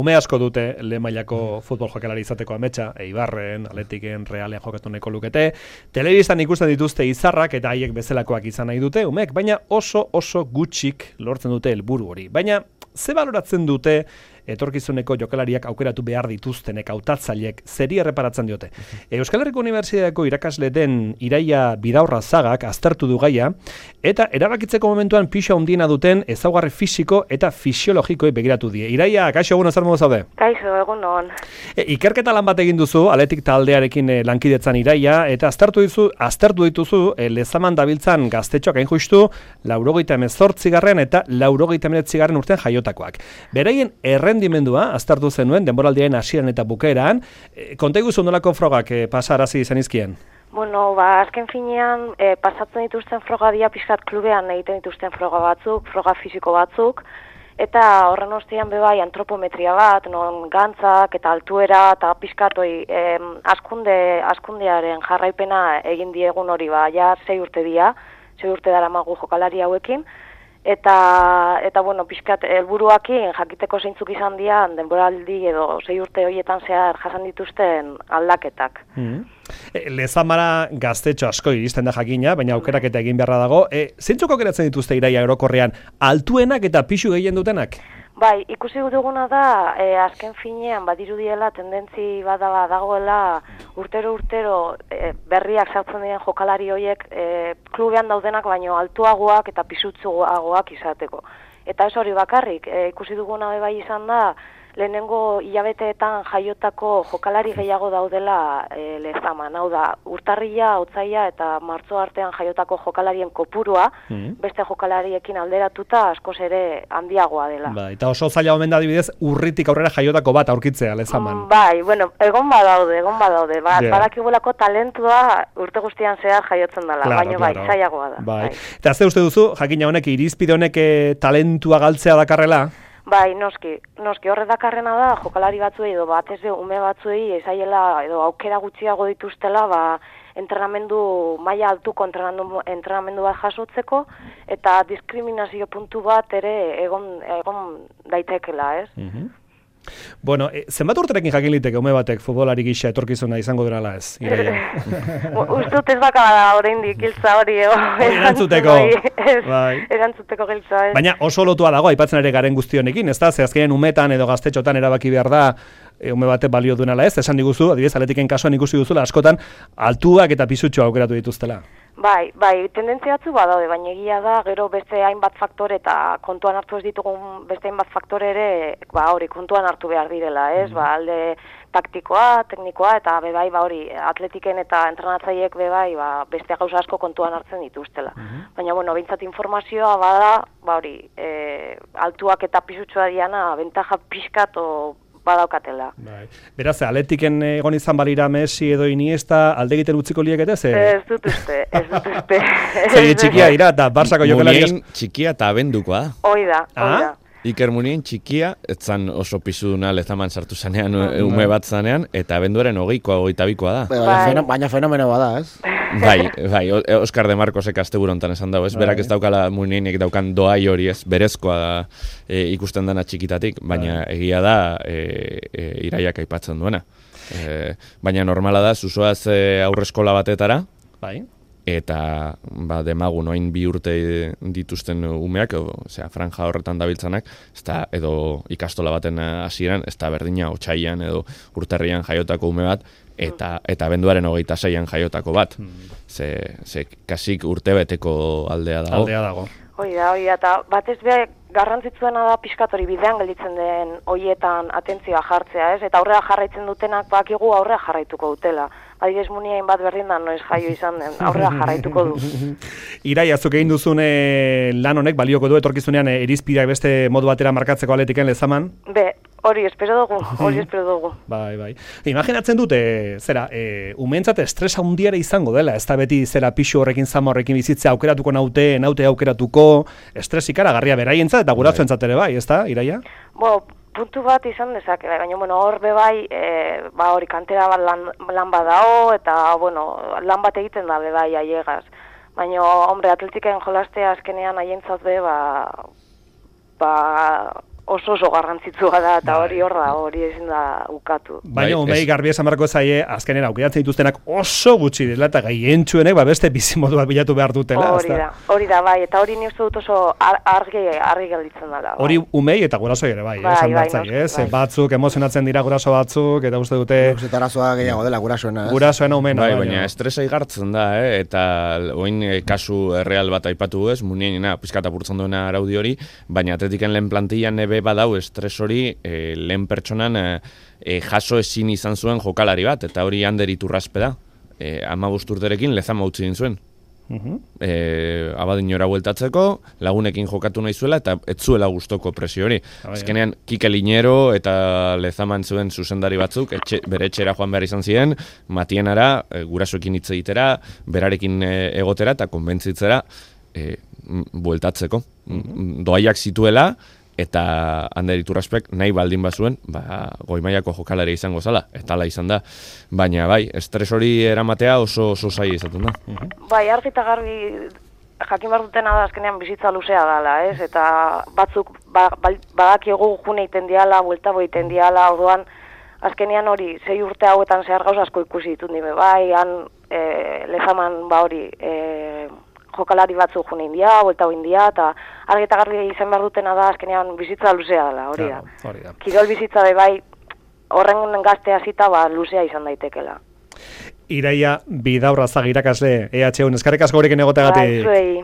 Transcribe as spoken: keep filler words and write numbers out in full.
Ume asko dute lehen mailako futbol jokalari izateko ametsa, Eibarren, Atletiken, Realean jokatu nahiko lukete, telebistan ikusten dituzte izarrak eta haiek bezalakoak izan nahi dute, umek, baina oso oso gutxik lortzen dute helburu hori. Baina ze baloratzen dute etorkizuneko jokalariak aukeratu behar dituztenek hautatzaileek zeri erreparatzen diote. Euskal Herriko Unibertsitateko irakasle den Iraia Bidaurra Zagak aztertu du gaia eta erabakitzeko momentuan pisu handiena duten ezaugarri fisiko eta fisiologikoei begiratu die. Iraia, kaixo, egun zer modu zaude? Kaixo, egun on. E, ikerketa lan bat egin duzu, Athletic taldearekin e, lankidetzan Iraia, eta aztertu dizu, aztertu dituzu e, lezaman dabiltzan gaztetxoak hain justu laurogeita hemezortzigarren eta laurogeita hemeretzigarren urtean jaiotakoak. Beraien errendimendua aztertu zenuen denboraldiaren hasieran eta bukaeran, e, konta iguzu nolako frogak e, pasarazi zenizkien? Bueno, ba, azken finean e, pasatzen dituzten froga dia pixkat klubean egiten dituzten froga batzuk, froga fisiko batzuk, eta horren ostean bebai antropometria bat, non gantzak eta altuera eta pixkatoi eh, askunde, askundearen jarraipena egin diegun hori, ba, ja sei urte dia, sei urte dara magu jokalari hauekin, eta, eta bueno, pixkat helburuakin jakiteko zeintzuk izan dian denboraldi edo sei urte horietan zehar jasan dituzten aldaketak. Mm. E, Lezamara gaztetxo asko iristen da jakina, baina aukeraketa egin beharra dago. E, zeintzuk aukeratzen dituzte Iraia orokorrean, altuenak eta pisu gehien dutenak? Bai, ikusi duguna da, e, azken finean badirudiela tendentzi bada dagoela urtero-urtero e, berriak sartzen diren jokalari horiek e, klubean daudenak baino altuagoak eta pisutsuagoak izateko. Eta ez hori bakarrik, e, ikusi duguna bai izan da, lehenengo hilabeteetan jaiotako jokalari gehiago daudela e, Lezaman. Hau da, urtarrila, otsaila eta martzo artean jaiotako jokalarien kopurua, mm. beste jokalariekin alderatuta askoz ere handiagoa dela. Ba, eta oso zaila omen da adibidez urritik aurrera jaiotako bat aurkitzea Lezaman. Mm, bai, bueno, egon badaude, egon badaude. Ba, yeah. Badakigulako talentua urte guztian zehar jaiotzen dela, claro, baina claro. Bai, zailagoa da. Bai. Bai. Eta ze uste duzu, jakina honek, irizpide honek talentua galtzea dakarrela? Bai, noski, noski horre dakarrena da, jokalari batzuei edo batez be ume batzuei ezaiela edo aukera gutxiago dituztela, ba, entrenamendu maila altuko entrenamendu, entrenamendu bat jasotzeko eta diskriminazio puntu bat ere egon egon daitekela, ez? Mm-hmm. Bueno, e, zenbat urterekin jakin liteke ume batek futbolari gisa etorkizuna izango durala ez, Iraia? Ustut ez bakala da oraindik giltza hori erantzuteko. Bai. Erantzuteko giltza ez. Baina oso lotua dago aipatzen ere garen guztionekin, ezta? Ze azkenean umetan edo gaztetxotan erabaki behar da e, ume batek balio duenala ez, esan diguzu, adibidez Atletiken kasuan ikusi duzula askotan altuak eta pisutxoa aukeratu dituztela. Bai, bai, tendentzia batzu badaude, baina egia da, gero beste hainbat faktore eta kontuan hartu ez ditugun beste hainbat faktore ere, ba hori, kontuan hartu behar direla, ez? Mm. Ba, alde taktikoa, teknikoa eta bebai, ba hori, Atletiken eta entrenatzaileek bebai, ba, beste gauza asko kontuan hartzen dituztela. Mm-hmm. Baina, bueno, behintzat informazioa bada, ba hori, e, altuak eta pisutxoa diana, bentaja pixkat o badaukatela. Bai. Beraz, Atletiken egon izan balira Messi edo Iniesta alde egiten utziko liekete, ze? Ez dut uste, ez dut uste. Zer txikia dira, eta Barsako jokalari... Munien txikia eta abendukoa. Hoi da, hoi da. Iker Munien txikia, etzan oso pizuduna Lezaman sartu zanean, ume bat zanean, eta abenduaren hogeikoa, hogeita bikoa da. Bai. Baina fenomeno bada, ez? Bai, bai, Oskar de Marcosek asteburu hontan esan dago, ez? Bai. Berak ez daukala Munienek daukan doai hori, ez? Berezkoa da e, ikusten dana txikitatik, baina bai. Egia da e, e, Iraiak aipatzen duena. E, baina normala da, zuzoaz e, aurreskola batetara, bai. Eta ba, demagun oain bi urte dituzten umeak, osea, franja horretan dabiltzanak, ezta, edo ikastola baten hasieran, ez da berdina otsailean edo urtarrian jaiotako ume bat, eta eta abenduaren hogeita seian jaiotako bat. Ze, ze kasik urtebeteko aldea dago. Aldea dago. Hoi da, hoi da, eta batez be garrantzitsuena da pixkatori bidean gelditzen den hoietan atentzioa jartzea, ez? Eta aurrera jarraitzen dutenak bakigu aurrera jarraituko dutela. Adibidez Munien bat berdin da noiz jaio izan den, aurrera jarraituko du. Iraia, zuk egin duzun lan honek balioko du etorkizunean irizpideak beste modu batera markatzeko Atletiken Lezaman? Be, hori espero dugu, hori espero dugu. Bai, bai. Imaginatzen dute, zera, e, umeentzat estres handiare izango dela, ez da beti zera pixu horrekin zama horrekin bizitzea aukeratuko naute, naute aukeratuko, estres ikaragarria beraientzat eta gurasoentzat ere bai, ez da, Iraia? Bo, puntu bat izan dezake, baina bueno, hor be bai, e, ba hori kantera bat lan, lan badao eta bueno, lan bat egiten da be bai aiegaz. Baina hombre, Atletiken jolastea azkenean haientzat be ba ba oso oso garrantzitsua da, eta hori hor da, hori ezin da ukatu. Baina Bai, umei ez- garbi esan beharko zaie, azkenera aukeratzen dituztenak oso gutxi dela, eta gaientsuenek ba beste bizimodua bilatu behar dutela. Hori ezta? da, hori da, bai, eta hori ni uste dut oso ar- argi, argi gelditzen dela. Bai. Hori umei eta gurasoi ere bai, Bai, esan bai, behar zaie, noski, ez? Ze bai. batzuk emozionatzen dira guraso batzuk, eta uste dute Uste arazoa gehiago dela gurasoena, ez? gurasoena umena. Bai, baina estresa igartzen da, eh? Eta oin eh, kasu erreal bat aipatu ez, munienina, pizkat apurtzen duena araudi hori, baina atletiken lehen plantillan ebe badau estres hori eh, lehen pertsonan eh, eh, jaso ezin izan zuen jokalari bat, eta hori Ander Iturraspe da. Eh, ama urterekin Lezama utzi din zuen. Mhm. E, abadinora bueltatzeko, lagunekin jokatu nahi zuela, eta ez zuela gustoko presio hori. bai. Azkenean, Kike Linero eta Lezaman zuen zuzendari batzuk, etxe, bere etxera joan behar izan ziren, Matienara, e, gurasoekin hitz egitera, berarekin e, egotera, eta konbentzitzera e, m- bueltatzeko. Mm, Doaiak zituela, eta Ander Iturraspek nahi baldin bazuen, ba, goi mailako jokalari izango zala, eta hala izan da. Baina bai, estres hori eramatea oso oso zaila izaten da. Bai, argi eta garbi jakin behar dutena da azkenean bizitza luzea dela, ez? Eta batzuk ba, ba, badakigu june iten diala, buelta bo iten diala, orduan azkenean hori, sei urte hauetan zehar gauz asko ikusi ditut nire, bai, han e, Lezaman ba hori, e, jokalari batzuk june india, buelta bo india, eta argi eta garbi izan behar dutena da azkenean bizitza luzea dela, hori da. Claro, hori da. Kirol bizitza be bai, horren gazte hasita ba, luzea izan daitekela. Iraia Bidaurra Zagi irakasle E H U eskerrik asko gurekin egoteagatik. Bai, zuei.